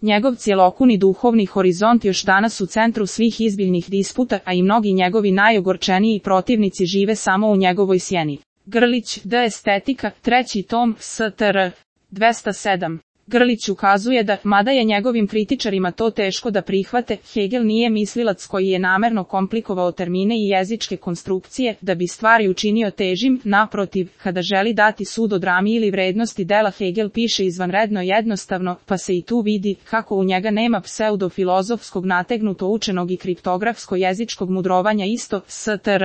Njegov cjelokuni duhovni horizont još danas u centru svih izbiljnih disputa, a i mnogi njegovi najogorčeniji protivnici žive samo u njegovoj sjeni. Grlić, D. Estetika, 3. tom, STR. 207. Grlić ukazuje da, mada je njegovim kritičarima to teško da prihvate, Hegel nije mislilac koji je namerno komplikovao termine i jezičke konstrukcije da bi stvari učinio težim, naprotiv, kada želi dati sud o drami ili vrednosti dela Hegel piše izvanredno jednostavno, pa se i tu vidi kako u njega nema pseudofilozofskog nategnuto učenog i kriptografsko-jezičkog mudrovanja isto, STR.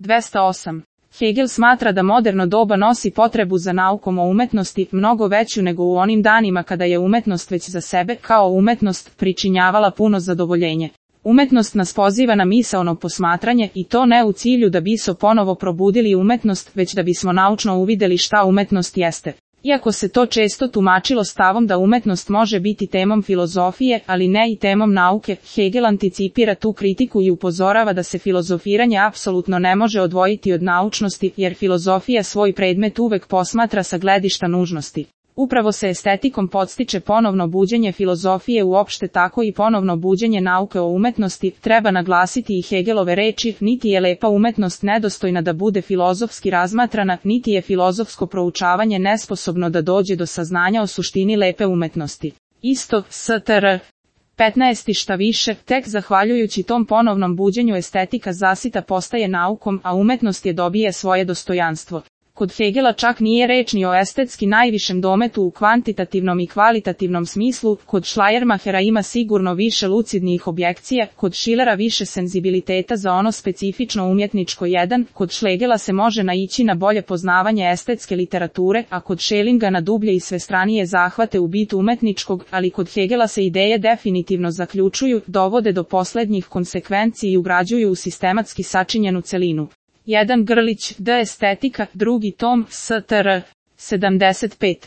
208. Hegel smatra da moderno doba nosi potrebu za naukom o umetnosti mnogo veću nego u onim danima kada je umetnost već za sebe, kao umetnost, pričinjavala puno zadovoljenje. Umetnost nas poziva na misaono posmatranje i to ne u cilju da bismo ponovo probudili umetnost, već da bismo naučno uvideli šta umetnost jeste. Iako se to često tumačilo stavom da umetnost može biti temom filozofije, ali ne i temom nauke, Hegel anticipira tu kritiku i upozorava da se filozofiranje apsolutno ne može odvojiti od naučnosti, jer filozofija svoj predmet uvek posmatra sa gledišta nužnosti. Upravo se estetikom podstiče ponovno buđenje filozofije uopšte tako i ponovno buđenje nauke o umetnosti, treba naglasiti i Hegelove reči, niti je lepa umetnost nedostojna da bude filozofski razmatrana, niti je filozofsko proučavanje nesposobno da dođe do saznanja o suštini lepe umetnosti. Isto, STR. 15. Šta više, tek zahvaljujući tom ponovnom buđenju estetika zasita postaje naukom, a umetnost je dobije svoje dostojanstvo. Kod Hegela čak nije reč ni o estetski najvišem dometu u kvantitativnom i kvalitativnom smislu, kod Schleiermachera ima sigurno više lucidnijih objekcija, kod Schillera više senzibiliteta za ono specifično umjetničko jedan, kod Schlegela se može naići na bolje poznavanje estetske literature, a kod Schellinga na dublje i svestranije zahvate u bit umetničkog, ali kod Hegela se ideje definitivno zaključuju, dovode do poslednjih konsekvenci i ugrađuju u sistematski sačinjenu celinu. 1. Grlić, D. Estetika, 2. tom, STR. 75.